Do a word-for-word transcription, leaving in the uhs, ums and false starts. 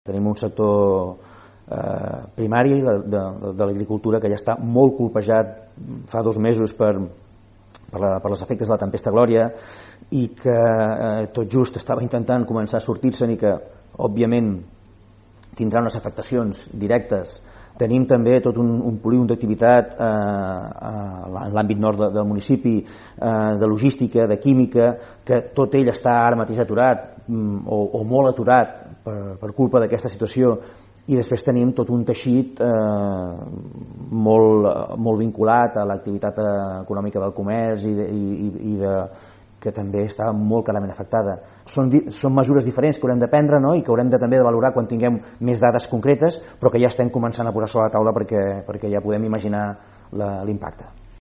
Tenim un sector eh, primari de, de, de l'agricultura que ja està molt colpejat fa dos mesos per, per, la, per les efectes de la tempesta Glòria i que eh, tot just estava intentant començar a sortir-se'n i que, òbviament, tindrà unes afectacions directes. Tenim també tot un, un polígon d'activitat eh, en l'àmbit nord de, del municipi, eh, de logística, de química, que tot ell està ara mateix aturat o, o molt aturat per, per culpa d'aquesta situació, i després tenim tot un teixit eh, molt, molt vinculat a l'activitat econòmica del comerç i, de, i, i de, que també està molt clarament afectada. Són, són mesures diferents que haurem de prendre, no? I que haurem de, també de valorar quan tinguem més dades concretes, però que ja estem començant a posar sobre la taula perquè, perquè ja podem imaginar l'impacte.